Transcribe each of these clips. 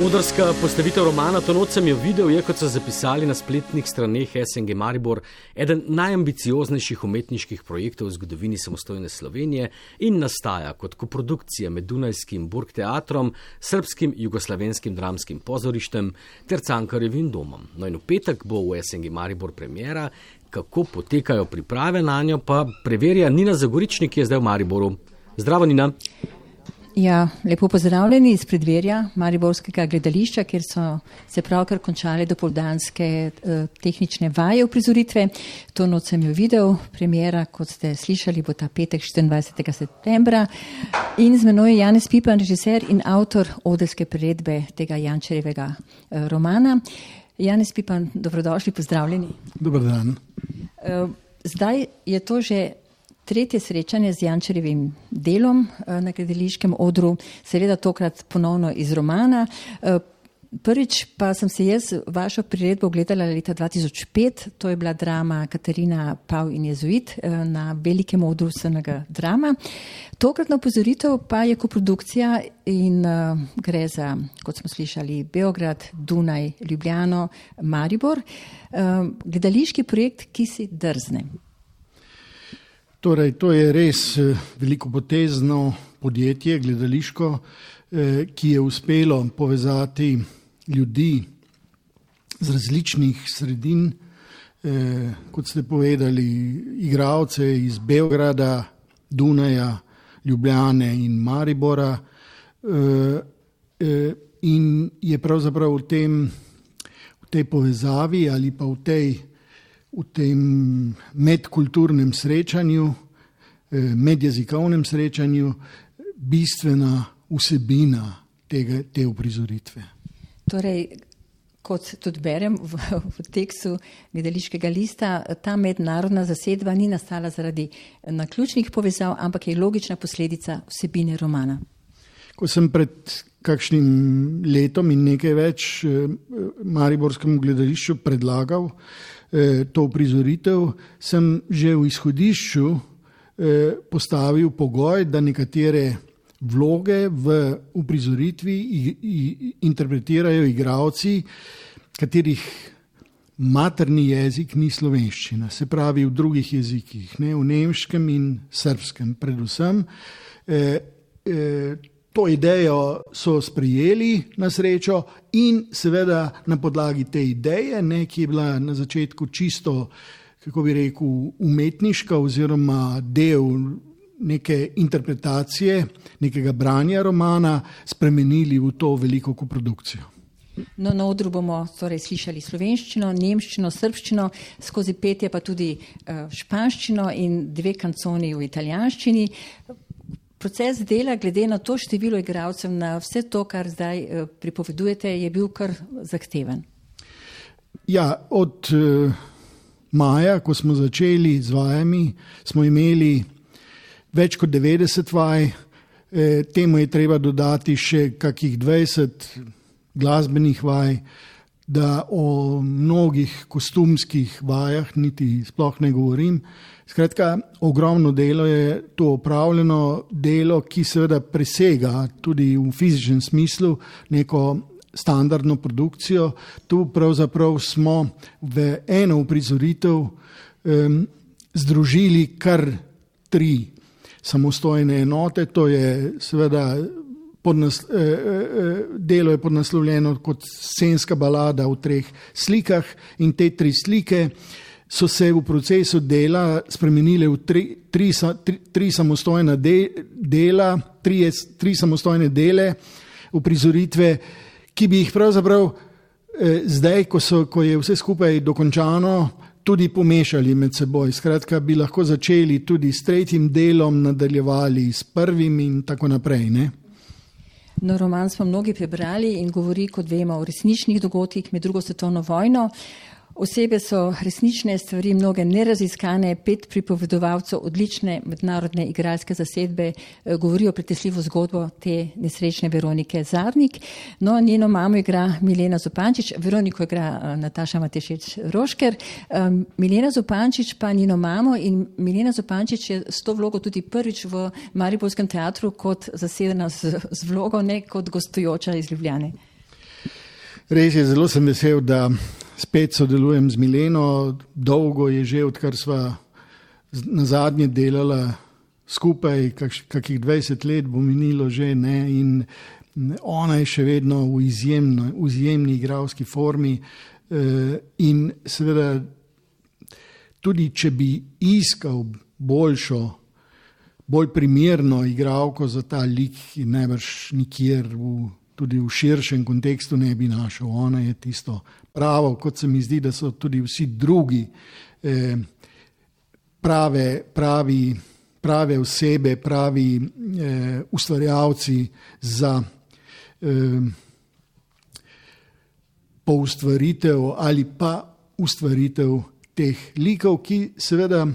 Odrska postavitev romana To noč sem jo videl je, kot so zapisali na spletnih straneh SNG Maribor, eden najambicioznejših umetniških projektov v zgodovini samostojne Slovenije in nastaja kot koprodukcija med Dunajskim Burgteatrom, Srbskim jugoslavenskim dramskim pozorištem ter Cankarjevim domom. No in v petek bo v SNG Maribor premiera. Kako potekajo priprave nanjo, pa preverja Nina Zagoričnik, ki je zdaj v Mariboru. Zdravo, Nina. Ja, lepo pozdravljeni iz predverja Mariborskega gledališča, kjer so se pravkar končale dopoldanske tehnične vaje uprizoritve. To noč sem jo videl, premiera, kot ste slišali, bo ta petek 24. septembra. In z menoj je Janez Pipan, režiser in avtor odrske priredbe tega Jančarjevega romana. Janez Pipan, dobrodošli, pozdravljeni. Dober dan. Zdaj je to že tretje srečanje z Jančarjevim delom na gledališkem odru, seveda tokrat ponovno iz romana. Prvič pa sem se jaz vašo priredbo gledala leta 2005, to je bila drama Katarina Pav in jezuit na velikem odru SNG Drama. Tokratna upozoritev pa je koprodukcija in gre za, kot smo slišali, Beograd, Dunaj, Ljubljano, Maribor. Gledališki projekt, ki si drzne. Torej, to je res velikopotezno podjetje, gledališko, ki je uspelo povezati ljudi z različnih sredin, kot ste povedali, igralce iz Beograda, Dunaja, Ljubljane in Maribora, in je pravzaprav v tej povezavi ali pa v tem medkulturnem srečanju, medjezikovnem srečanju bistvena vsebina te uprizoritve. Torej, kot tudi berem v tekstu gledališkega lista, ta mednarodna zasedba ni nastala zaradi naključnih povezav, ampak je logična posledica vsebine romana. Ko sem pred kakšnim letom in nekaj več mariborskemu gledališču predlagal to uprizoritev, sem že v izhodišču postavil pogoj, da nekatere vloge v uprizoritvi interpretirajo igralci, katerih materni jezik ni slovenščina, se pravi v drugih jezikih, ne, v nemškem in srbskem predvsem. To idejo so sprejeli na srečo in seveda na podlagi te ideje, ki je bila na začetku čisto, kako bi rekel, umetniška oziroma del neke interpretacije, nekega branja romana, spremenili v to veliko koprodukcijo. No, na odru bomo torej slišali slovenščino, nemščino, srbščino, skozi petje pa tudi španščino in 2 kanconi v italijanščini. Proces dela, glede na to število igralcev, na vse to, kar zdaj pripovedujete, je bil kar zahteven. Ja, od maja, ko smo začeli z vajami, smo imeli več kot 90 vaj, temu je treba dodati še kakih 20 glasbenih vaj, da o mnogih kostumskih vajah niti sploh ne govorim. Skratka, ogromno delo je to opravljeno, delo, ki seveda presega tudi v fizičnem smislu neko standardno produkcijo. Tu pravzaprav smo v eno uprizoritev združili kar 3 samostojne enote, to je seveda delo je podnaslovljeno kot scenska balada v 3 slikah in te 3 slike so se v procesu dela spremenile v 3 samostojna dela, 3 samostojne dele uprizoritve, ki bi jih pravzaprav zdaj, ko je vse skupaj dokončano, tudi pomešali med seboj. Skratka, bi lahko začeli tudi s 3. delom, nadaljevali s 1. in tako naprej, ne? No, roman smo mnogi prebrali in govori, kot vemo, o resničnih dogodkih med 2. svetovno vojno. Osebe so resnične stvari, mnoge neraziskane, 5 pripovedovalcev odlične mednarodne igralske zasedbe govorijo pretresljivo zgodbo te nesrečne Veronike Zadnik. No, njeno mamo igra Milena Zupančič, Veroniko igra Nataša Matešec Rošker, Milena Zupančič pa njeno mamo in Milena Zupančič je s to vlogo tudi prvič v Mariborskem teatru kot zasedena z vlogo, ne kot gostujoča iz Ljubljane. Res je, zelo sem vesel, da spet sodelujem z Mileno. Dolgo je že, odkar sva na zadnje delala skupaj, kakih 20 let bo minilo že, ne, in ona je še vedno v izjemni igralski formi in seveda tudi, če bi iskal bolj primerno igralko za ta lik, najbrž nikjer tudi v širšem kontekstu ne bi našel. Ona je tisto pravo, kot se mi zdi, da so tudi vsi drugi prave osebe, pravi ustvarjalci za poustvaritev ali pa ustvaritev teh likov, ki seveda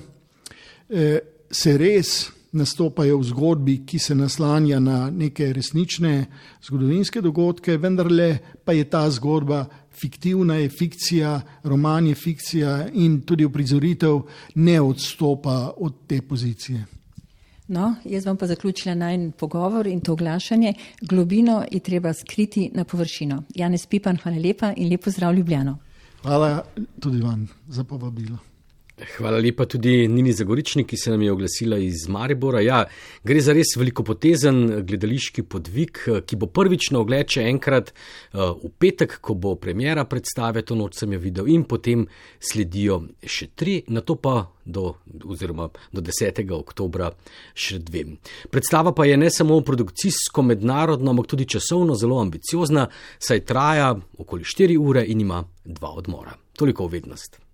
se res nastopajo v zgodbi, ki se naslanja na neke resnične zgodovinske dogodke, vendarle pa je ta zgodba fiktivna, je fikcija, roman je fikcija in tudi uprizoritev ne odstopa od te pozicije. No, jaz bom pa zaključila najin pogovor in to oglašanje. Globino je treba skriti na površino. Janez Pipan, hvala lepa in lep pozdrav Ljubljano. Hvala tudi vam za povabilo. Hvala lepa tudi Nini Zagoričnik, ki se nam je oglasila iz Maribora. Ja, gre za res velikopotezen gledališki podvig, ki bo prvič na ogled še enkrat v petek, ko bo premiera predstave, to noč sem jo videl, in potem sledijo še 3, nato pa do 10. oktobra še 2. Predstava pa je ne samo produkcijsko, mednarodno, ampak tudi časovno zelo ambiciozna, saj traja okoli 4 ure in ima 2 odmora. Toliko v vednost.